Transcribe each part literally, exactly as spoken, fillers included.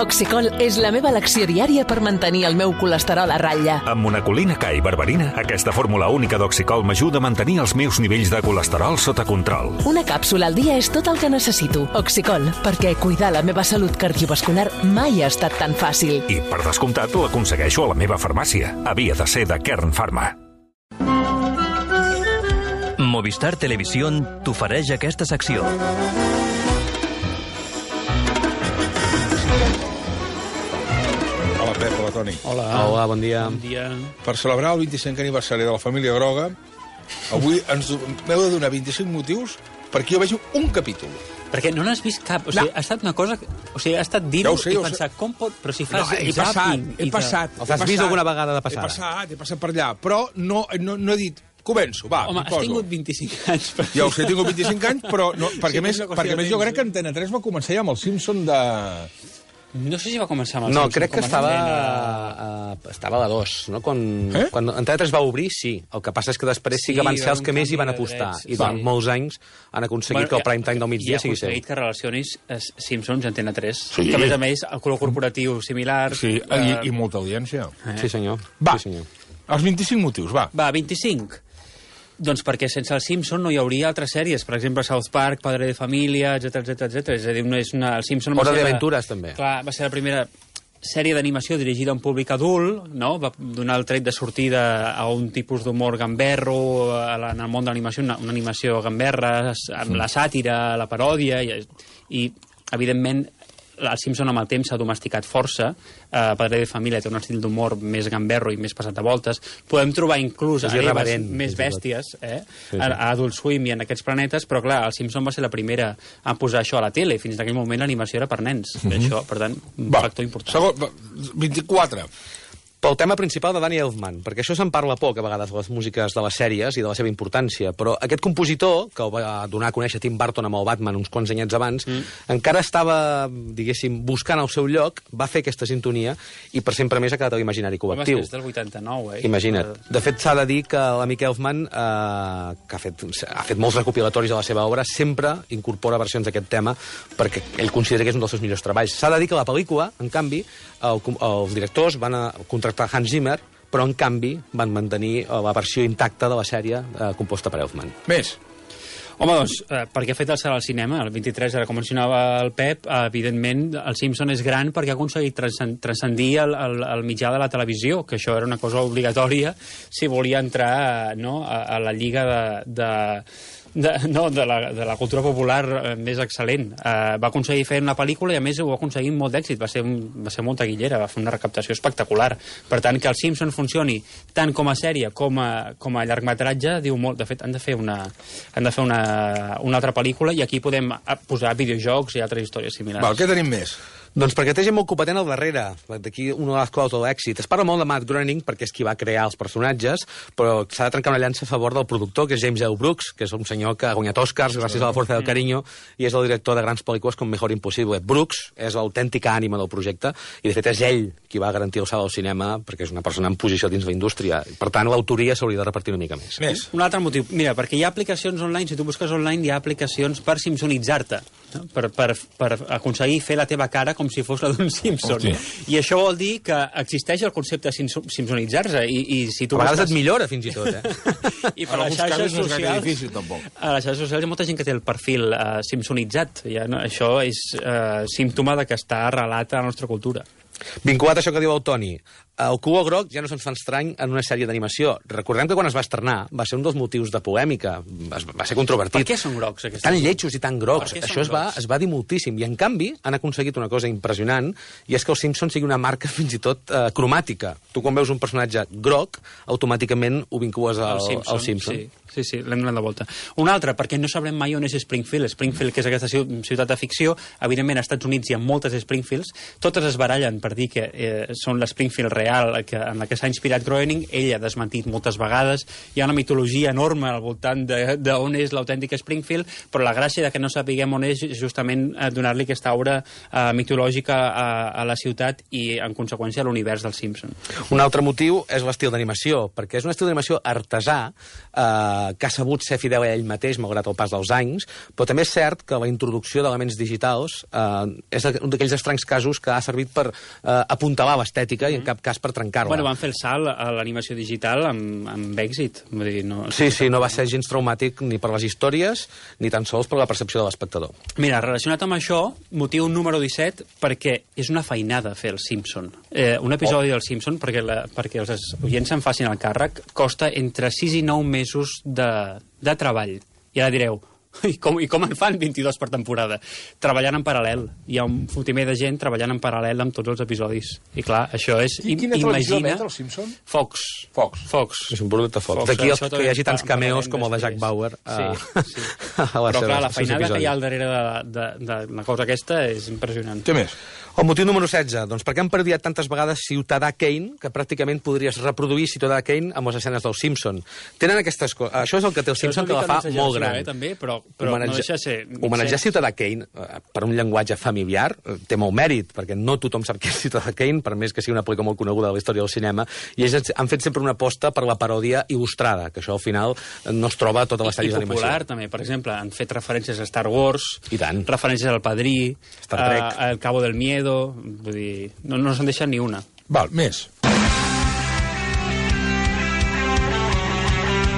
Oxicol és la meva elecció diària per mantenir el meu colesterol a ratlla. Amb monacolina K i berberina, aquesta fórmula única d'Oxicol m'ajuda a mantenir els meus nivells de colesterol sota control. Una càpsula al dia és tot el que necessito. Oxicol, perquè cuidar la meva salut cardiovascular mai ha estat tan fàcil. I, per descomptat, l'aconsegueixo a la meva farmàcia. Havia de ser de Kern Pharma. Movistar Televisión t'ofereix aquesta secció. Hola, Pep, hola, Toni. Hola. Hola, bon dia. Bon dia. Per celebrar el vint-i-cinquè aniversari de la família Groga, avui ens m'heu de donar vint-i-cinc motius perquè jo vegi un capítol. Perquè no n'has vist cap. O sigui, No. ha estat una cosa... O sigui, ha estat dir-ho Ja ho sé, i ja ho pensar, sé. com pot... Però si No, fas he passat, zapping he i te- passat. Els he has vist passat. alguna vegada de passada? He passat, he passat per allà, però no, no, no he dit... Començo, va, Home, m'hi has poso. tingut vint-i-cinc anys. Però... Ja ho sé, he tingut vint-i-cinc anys, però no, perquè, Sí, més, és una qüestió perquè de més jo temps, crec que Antena tres va començar ja amb el Simpson de... No sé si va començar amb el No, Simpson, crec que com a estava, nena. uh, estava a la dos, no? Quan, Eh? quan Antena tres va obrir, sí. El que passa és que després sí, Sí, que van va ser haver els un que més hi canvi van de apostar. drets, I durant sí. molts anys han aconseguit que el prime time del migdia sigui seu. I ha aconseguit que relacionis eh, Simpsons i Antena tres. Sí. Que, a més a més, el color corporatiu similar... Sí, eh, i, i molta audiència. Sí, senyor. Va, Sí, senyor. els vint-i-cinc motius, va. Va, vint-i-cinc. Doncs perquè sense el Simpson no hi hauria altres sèries, per exemple South Park, Padre de Família, etcètera, etcètera, etcètera. És a dir, no és una... el Simpson va Hora ser la- d'Aventures, també. Clar, va ser la primera sèrie d'animació dirigida a un públic adult, no? Va donar el tret de sortida a un tipus d'humor gamberro a la, en el món de l'animació, una, una animació gamberra, amb la sàtira, la paròdia, i, i evidentment el Simpson amb el temps s'ha domesticat força. Uh, Padre de Família té un estil d'humor més gamberro i més passat a voltes. Podem trobar inclús És hereves irreverent, més fins i tot. bèsties eh? Sí, sí. A, a Adult Swim i en aquests planetes, però clar, el Simpson va ser la primera a posar això a la tele. Fins en aquell moment l'animació era per nens. Mm -hmm. Això, per tant, un Va, factor important. segon, va, vint-i-quatre. Pel tema principal de Danny Elfman, perquè això se'n parla poc a vegades de les músiques de les sèries i de la seva importància, però aquest compositor, que el va donar a conèixer Tim Burton amb el Batman uns quants anyets abans, mm. encara estava, diguéssim, buscant el seu lloc, va fer aquesta sintonia i per sempre més ha quedat a l'imaginari col·lectiu. Home, és del vuitanta-nou, eh? Imagina't. De fet, s'ha de dir que l'amic Elfman, eh, que ha fet, ha fet molts recopilatoris de la seva obra, sempre incorpora versions d'aquest tema perquè ell considera que és un dels seus millors treballs. S'ha de dir que la pel·lícula, en canvi, el, els directors van a contractar Hans Zimmer, però en canvi van mantenir la versió intacta de la sèrie eh, composta per Elfman. Més. Home, doncs, eh, perquè ha fet el salt al cinema, el vint-i-tres, ara com mencionava el Pep, eh, evidentment el Simpson és gran perquè ha aconseguit transcen- transcendir el, el, el mitjà de la televisió, que això era una cosa obligatòria si volia entrar eh, no, a, a la lliga de... de De, no, de la, de la cultura popular eh, més excel·lent. Eh, va aconseguir fer una pel·lícula i, a més, ho va aconseguir amb molt d'èxit. Va ser, un, va ser molt taquillera, va fer una recaptació espectacular. Per tant, que el Simpson funcioni tant com a sèrie com a, com a llargmetratge, diu molt. De fet, han de fer una, han de fer una, una altra pel·lícula i aquí podem posar videojocs i altres històries similars. Val, què tenim més? Doncs perquè té gent molt competent al darrere, d'aquí una de les claus de l'èxit. Es parla molt de Matt Groening perquè és qui va crear els personatges, però s'ha de trencar una llança a favor del productor, que és James L. Brooks, que és un senyor que ha guanyat Oscars gràcies a la força del carinyo i és el director de grans pel·lícules com Mejor Impossible. Brooks és l'autèntica ànima del projecte i, de fet, és ell qui va garantir el salt al cinema perquè és una persona en posició dins la indústria. Per tant, l'autoria s'hauria de repartir una mica més. Més. Un altre motiu. Mira, perquè hi ha aplicacions online, si tu busques online, hi ha aplicacions per simpsonitzar-te, no? per, per, per aconseguir fer la teva cara com si fos la d'un Simpson. Hòstia. I això vol dir que existeix el concepte de sim- simpsonitzar-se. I, i si tu A vegades busques- et millora, fins i tot, eh? I per En les alguns xarxes casos no és gaire socials... difícil, tampoc. A les xarxes socials hi ha molta gent que té el perfil uh, simpsonitzat. Ja, no? Això és uh, símptoma de que està arrelat a la nostra cultura. Vinculat a això que diu el Toni, el color groc ja no se'ns fa estrany en una sèrie d'animació. Recordem que quan es va estrenar va ser un dels motius de polèmica, es- va ser controvertit. Per què són grocs, aquests? Tan lletjos i tan grocs. Per què són Això es va, grocs? es va dir moltíssim. I, en canvi, han aconseguit una cosa impressionant, i és que el Simpson sigui una marca fins i tot eh, cromàtica. Tu, quan veus un personatge groc, automàticament ho vincules al, El Simpson, al Simpson. Sí, sí, sí, l'hem donat de volta. Un altre, perquè no sabrem mai on és Springfield. Springfield, que és aquesta ciu- ciutat de ficció, evidentment als Estats Units hi ha moltes Springfields, totes es barallen per dir que eh, són l'Springfield real, real que, en la que s'ha inspirat Groening, ell ha desmentit moltes vegades. Hi ha una mitologia enorme al voltant d'on és l'autèntic Springfield, però la gràcia de que no sapiguem on és justament donar-li aquesta aura uh, mitològica a, a la ciutat i, en conseqüència, a l'univers dels Simpson. Un altre motiu és l'estil d'animació, perquè és un estil d'animació artesà eh, que ha sabut ser fidel a ell mateix, malgrat el pas dels anys, però també és cert que la introducció d'elements digitals eh, és un d'aquells estranys casos que ha servit per eh, apuntalar l'estètica i en cap cas per trencar-la. Bueno, van fer el salt a l'animació digital amb, amb èxit. Vull dir, no... Sí, sí, no va ser gens traumàtic ni per les històries ni tan sols per la percepció de l'espectador. Mira, relacionat amb això, motiu número disset, perquè és una feinada fer el Simpson. Eh, un episodi oh. del Simpson, perquè, la, perquè els oients se'n facin el càrrec, costa entre sis i nou mesos de, de treball. I ara direu, I com, I com en fan vint-i-dos per temporada? Treballant en paral·lel. Hi ha un fotimer de gent treballant en paral·lel amb tots els episodis. I clar, això és... I quina televisió emet, el Simpson? Fox. Fox. Fox. És un producte Fox. D'aquí el, que hi hagi tants cameos com el de Jack Bauer. Sí, uh, sí. Però clar, la feinada que hi ha al darrere de, de, de la cosa aquesta és impressionant. Què més? El motiu número setze, doncs perquè han parodiat tantes vegades Ciutadà Kane que pràcticament podries reproduir Ciutadà Kane amb les escenes del Simpson. Tenen aquestes coses... Això és el que té el Simpson, que la fa molt gran. Eh, també, però, però homenatge... no deixa ser... Homenatjar Ciutadà Kane eh, per un llenguatge familiar eh, té molt mèrit, perquè no tothom sap què és Ciutadà Kane, per més que sigui una pel·lícula molt coneguda de la història del cinema, i ells han fet sempre una aposta per la paròdia il·lustrada, que això al final no es troba a totes les sèries d'animació. I popular, també. Per exemple, han fet referències a Star Wars, i tant. Referències al Padrí, Star Trek, a, a El Cabo del Miedo... Vull dir, no, no se'n deixa ni una. Val, més.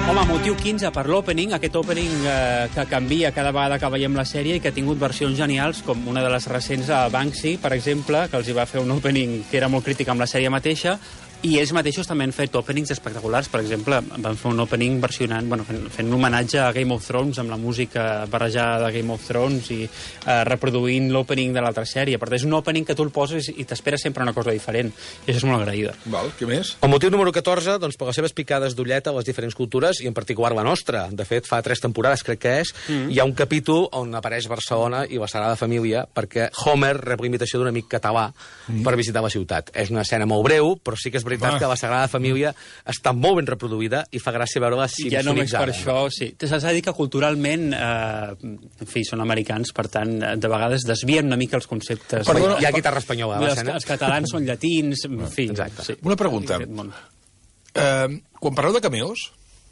Home, motiu quinze per l'opening, aquest opening eh, que canvia cada vegada que veiem la sèrie i que ha tingut versions genials, com una de les recents a Banksy, per exemple, que els hi va fer un opening que era molt crític amb la sèrie mateixa, i ells mateixos també han fet openings espectaculars. Per exemple, van fer un opening versionant, bueno, fent, fent un homenatge a Game of Thrones amb la música barrejada de Game of Thrones i eh, reproduint l'opening de l'altra sèrie. Per tant, és un opening que tu el poses i t'espera sempre una cosa diferent. I això és molt agraïda. Val, què més? El motiu número catorze, doncs, per les seves picades d'ulleta a les diferents cultures, i en particular la nostra. De fet, fa tres temporades, crec que és, mm. hi ha un capítol on apareix Barcelona i la Sagrada Família, perquè Homer rep la invitació d'un amic català mm. per visitar la ciutat. És una escena molt breu, però sí que és veritat Va. que la Sagrada Família està molt ben reproduïda i fa gràcia veure-la simpsonitzada. Ja només per això, sí. S'ha de dir que culturalment, eh, en fi, són americans, per tant, de vegades desvien una mica els conceptes. Perdona, hi ha guitarra espanyola a l'escena. Els, els catalans són llatins, en fi. Exacte. Sí. Una pregunta. Eh, quan parleu de cameos,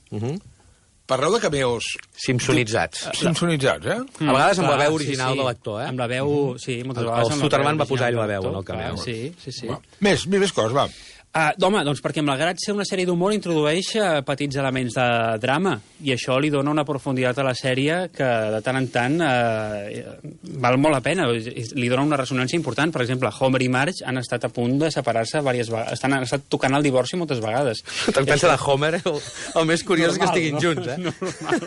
uh -huh. parleu de cameos... Simpsonitzats. Simpsonitzats, eh? Mm, a vegades amb clar, la veu original sí, sí. de l'actor, eh? Amb la veu, sí, moltes vegades. El Suterman va posar ell la veu en el cameo. Sí, sí, sí. Va. Més, més coses, va. Uh, home, doncs perquè malgrat ser una sèrie d'humor introdueix uh, petits elements de drama i això li dona una profunditat a la sèrie que de tant en tant uh, val molt la pena, li dona una ressonància important. Per exemple, Homer i Marge han estat a punt de separar-se diverses vegades, estan, han estat tocant el divorci moltes vegades. Te'n pensa de Homer, el, el més curiós normal, és que estiguin no? junts, eh? Normal.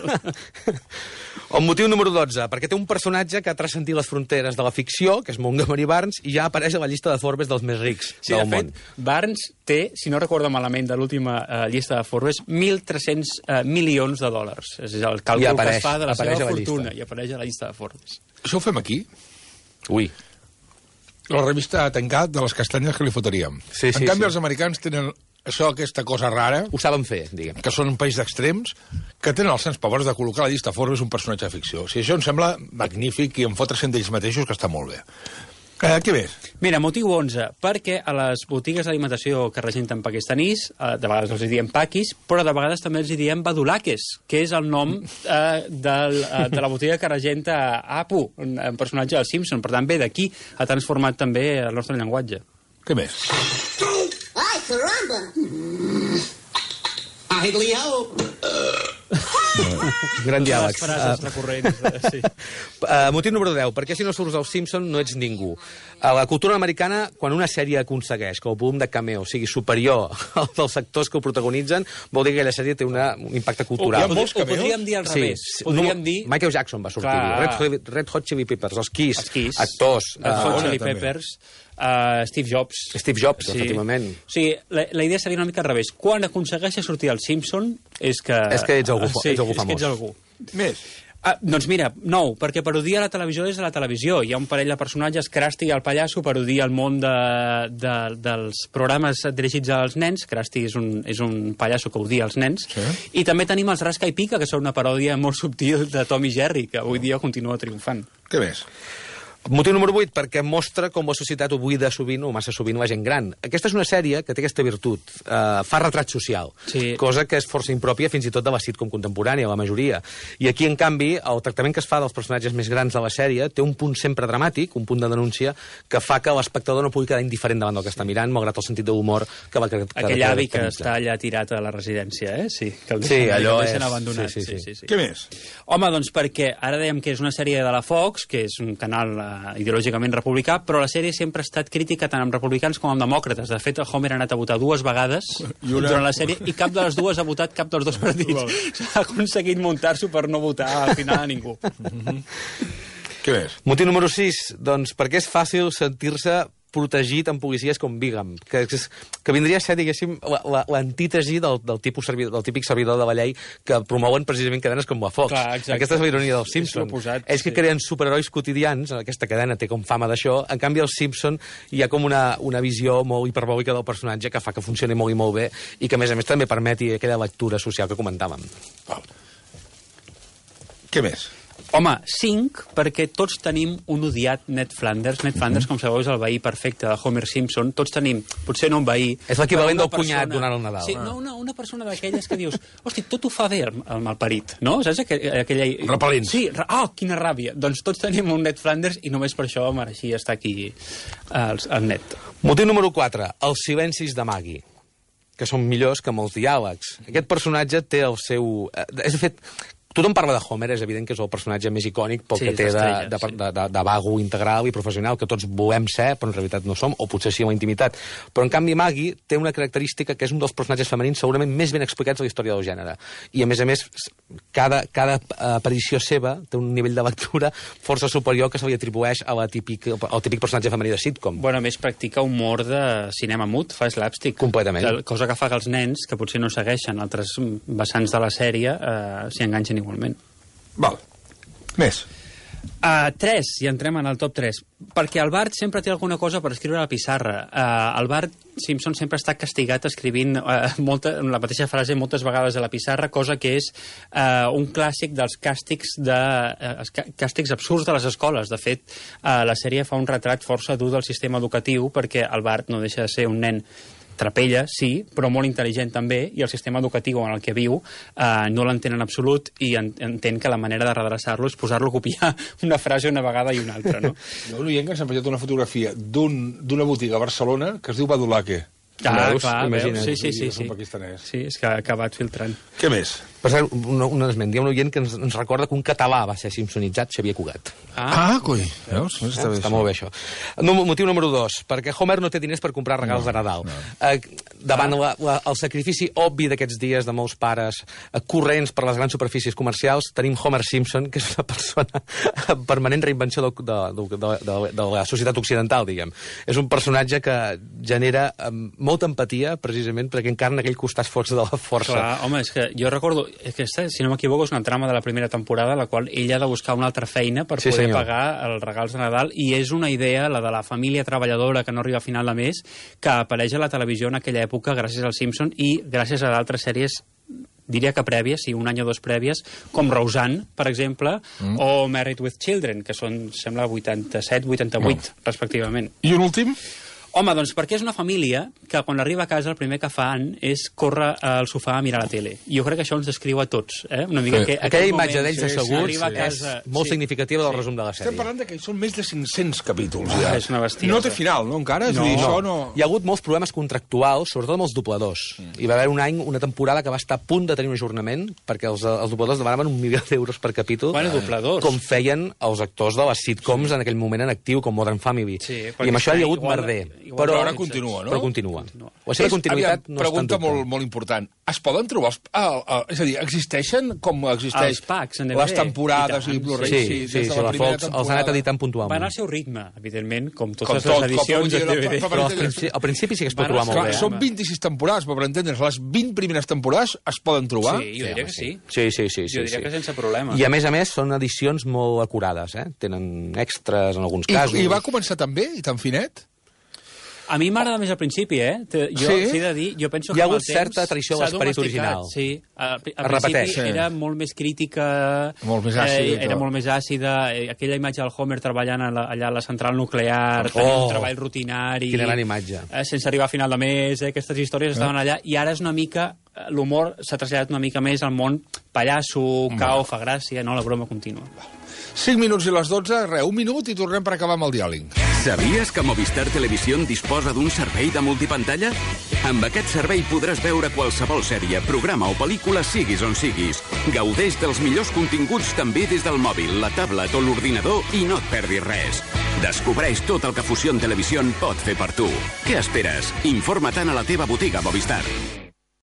El motiu número dotze, perquè té un personatge que ha transcendit les fronteres de la ficció, que és Montgomery Barnes, i ja apareix a la llista de Forbes dels més rics sí, del de fet, món. Barnes té, si no recordo malament de l'última uh, llista de Forbes, mil tres-cents uh, milions de dòlars. És el càlcul apareix, que es fa de la seva la fortuna llista. I apareix a la llista de Forbes. Això ho fem aquí? Ui. La revista ha tancat de les castanyes que li fotríem. Sí, sí, en canvi, sí. els americans tenen això, aquesta cosa rara... Ho saben fer, diguem. Que són un país d'extrems, que tenen els sens pobres de col·locar a la llista Forbes un personatge de ficció. O sigui, això em sembla magnífic i em fotre'n d'ells mateixos, que està molt bé. Eh, què més? Mira, motiu onze, perquè a les botigues d'alimentació que regenten pakistanís, eh, de vegades els hi diem paquis, però de vegades també els hi diem badulakes, que és el nom eh, del, eh, de la botiga que regenta Apu, un, un personatge del Simpson. Per tant, bé, d'aquí ha transformat també el nostre llenguatge. Què més? Ai, caramba! Ai, Leo! Gran diàleg. Les frases uh, recurrents, sí. Uh, motiu número deu, perquè si no surts al Simpson no ets ningú. A la cultura americana, quan una sèrie aconsegueix que el volum de cameo sigui superior al dels actors que ho protagonitzen, vol dir que aquella sèrie té una, un impacte cultural. Oh, hi ha molts cameos? Ho podríem dir al revés. Sí, podríem no, dir... Michael Jackson va sortir. Red, Red Hot Chili Peppers, els Kiss, els Kiss actors. Red Hot uh, Chili Peppers... Uh, Steve Jobs. Steve Jobs, sí. Efectivament. O sigui, la, la idea seria una mica al revés. Quan aconsegueixes sortir al Simpson és que... És que ets algú, sí, ets algú famós. És que ets algú. Més. Ah, doncs mira, nou, perquè parodia la televisió des de la televisió. Hi ha un parell de personatges, Krusty i el pallasso, parodia el món de, de, dels programes dirigits als nens. Krusty és un, és un pallasso que odia els nens. Sí. I també tenim els Rasca i Pica, que són una paròdia molt subtil de Tom i Jerry, que avui dia continua triomfant. Què més? Motiu número vuit, perquè mostra com la societat ho buida sovint, o massa sovint, la gent gran. Aquesta és una sèrie que té aquesta virtut. Uh, fa retrat social, sí. Cosa que és força impròpia fins i tot de la sitcom contemporània, la majoria. I aquí, en canvi, el tractament que es fa dels personatges més grans de la sèrie té un punt sempre dramàtic, un punt de denúncia, que fa que l'espectador no pugui quedar indiferent davant del que està mirant, malgrat el sentit d'humor que va... Que, Aquell avi que està allà tirat a la residència, eh? Sí, que el deixen, sí, allò que el deixen és... abandonat. Sí, sí, sí. Sí, sí, sí. Què més? Home, doncs perquè ara dèiem que és una sèrie de la Fox, que és un canal uh, ideològicament republicà, però la sèrie sempre ha estat crítica tant amb republicans com amb demòcrates. De fet, el Homer ha anat a votar dues vegades I una... durant la sèrie i cap de les dues ha votat cap dels dos partits. S'ha aconseguit muntar-s'ho per no votar al final a ningú. Mm-hmm. Què més? Motiu número sis, doncs perquè és fàcil sentir-se protegit amb policies com Bigam, que, que vindria a ser, diguéssim, l'antítesi del, del, tipus servidor, del típic servidor de la llei que promouen precisament cadenes com la Fox. Clar, aquesta és la ironia dels Simpsons. Posat, Ells que sí. creen superherois quotidians, aquesta cadena té com fama d'això, en canvi els Simpsons hi ha com una, una visió molt hiperbòlica del personatge que fa que funcioni molt i molt bé i que, a més a més, també permeti aquella lectura social que comentàvem. Val. Què més? Home, cinc, perquè tots tenim un odiat Ned Flanders. Ned Flanders, com sabeu, és el veí perfecte de Homer Simpson. Tots tenim, potser no un veí... És l'equivalent del persona... cunyat donant el Nadal. Sí, no, una, una persona d'aquelles que dius, hosti, tot ho fa bé el, el malparit, no? Saps aquella... aquella... Repel·lents. Sí, oh, quina ràbia. Doncs tots tenim un Ned Flanders i només per això mereixia estar aquí el, el Ned. Motiu número quatre, els silencis de Maggie, que són millors que molts diàlegs. Aquest personatge té el seu... És, de fet, tothom parla de Homer, és evident que és el personatge més icònic pel sí, que té de, de, sí. de, de, de vago integral i professional, que tots volem ser, però en realitat no som, o potser sí en la intimitat. Però, en canvi, Maggie té una característica que és un dels personatges femenins segurament més ben explicats a la història del gènere. I, a més a més, cada, cada aparició seva té un nivell de lectura força superior que se li atribueix a la típic, al típic personatge femení de sitcom. Bueno, a més, practica humor de cinema mut, fa slapstick. Completament. Cosa que fa que els nens, que potser no segueixen altres vessants de la sèrie, eh, s'hi enganxen igualment. Val. Més. Uh, tres, i entrem en el top tres. Perquè el Bart sempre té alguna cosa per escriure a la pissarra. Uh, el Bart Simpson sempre està castigat escrivint uh, molta, la mateixa frase moltes vegades a la pissarra, cosa que és uh, un clàssic dels càstigs, de, uh, càstigs absurds de les escoles. De fet, uh, la sèrie fa un retrat força dur del sistema educatiu perquè el Bart no deixa de ser un nen trapella, sí, però molt intel·ligent també, i el sistema educatiu en el que viu eh, no l'entén en absolut i en, entén que la manera de redreçar-lo és posar-lo a copiar una frase una vegada i una altra, no? Jo un oient que ens ha enviat una fotografia d'una un, botiga a Barcelona que es diu Badulaque. Ah, veus? clar, Imagina't. veus? Sí, sí, sí. És un Sí, pakistanès. sí és que ha acabat filtrant. Què més? Per cert, un, un esment, hi ha un oient que ens, ens recorda que un català va ser simpsonitzat, Xavier Cugat. Ah, coi. Veus? Eh? Està, està molt bé, això. No, motiu número dos, perquè Homer no té diners per comprar regals no, de Nadal. No. Eh, davant la, la, el sacrifici obvi d'aquests dies de molts pares eh, corrents per les grans superfícies comercials, tenim Homer Simpson, que és una persona en permanent reinvenció de, de, de, de, de la societat occidental, diguem. És un personatge que genera eh, molta empatia, precisament, perquè encarna aquell costat força de la força. Clar, home, és que jo recordo, aquesta, si no m'equivoco, és una trama de la primera temporada, la qual ell ha de buscar una altra feina per sí, poder senyor. pagar els regals de Nadal, i és una idea, la de la família treballadora que no arriba a final de mes, que apareix a la televisió en aquella època gràcies als Simpson i gràcies a d'altres sèries, diria que prèvies, sí, un any o dos prèvies, com Roseanne, per exemple, mm. o Married with Children, que són, sembla, vuitanta-set vuitanta-vuit, mm. respectivament. I un últim? Home, doncs perquè és una família que quan arriba a casa el primer que fan és córrer al sofà a mirar la tele. I jo crec que això ens descriu a tots. Eh? Una mica sí. que aquella imatge moment, d'ells sí, asseguts sí, casa, és molt sí, significativa del sí. resum de la sèrie. Estem parlant que són més de cinc-cents capítols. Ja. Ah, és una bestiesa. No té final, no, encara? És No. a dir, No. això no... Hi ha hagut molts problemes contractuals, sobretot amb els dobladors. Mm. Hi va haver un any, una temporada que va estar a punt de tenir un ajornament perquè els, els dobladors demanaven un milió d'euros per capítol. Bueno, dobladors. Com feien els actors de les sitcoms sí. en aquell moment en actiu, com Modern Family. Sí, I amb això hi ha hagut igual, merder. Igual Però que ara els- continua, no? Però continua. La seva És, continuïtat aviam, no està en pregunta dubte. molt, molt important. Es poden trobar... Els, ah, ah, és a dir, existeixen com existeix Els packs en D V D, les temporades i i, tant, Blu-ray? Sí, sí, sí, des de sí, la primera Fox els ha anat temporada. editant puntualment. Van al seu ritme, evidentment, com totes Com les tot, edicions com de vull dir, D V D. la- Però al principi, al principi sí que es pot Van trobar als- molt Clar, bé. són vint-i-sis temporades, però per entendre's, les vint primeres temporades es poden trobar? Sí, jo diria que sí. Sí, sí, sí. sí Jo diria sí. que sense problema. I a més a més són edicions molt acurades, eh? Tenen extras en alguns casos. I, I va començar tan bé i tan finet? A mi m'agrada més al principi, eh? Te- Jo, Sí? sí? de dir, jo penso Hi que ha amb el hagut certa temps traïció a s'ha l'esperit domesticat, original. Sí, al, al Es principi repeteix. Sí. era molt més crítica, Molt més àcida i eh, era tot. molt més àcida, eh, aquella imatge del Homer treballant a la, allà a la central nuclear, oh, tenia un treball rutinari... Quina gran imatge. Eh, sense arribar a final de mes, eh, aquestes històries estaven allà, i ara és una mica... eh, L'humor s'ha traslladat una mica més al món pallasso, cau, fa gràcia, no? La broma contínua. cinc minuts i les dotze, res, un minut i tornem per acabar amb el diàleg. Sabies que Movistar Televisió disposa d'un servei de multipantalla? Amb aquest servei podràs veure qualsevol sèrie, programa o pel·lícula siguis on siguis. Gaudeix dels millors continguts també des del mòbil, la tablet o l'ordinador i no et perdis res. Descobreix tot el que Fusión Televisió pot fer per tu. Què esperes? Informa-te'n a la teva botiga Movistar.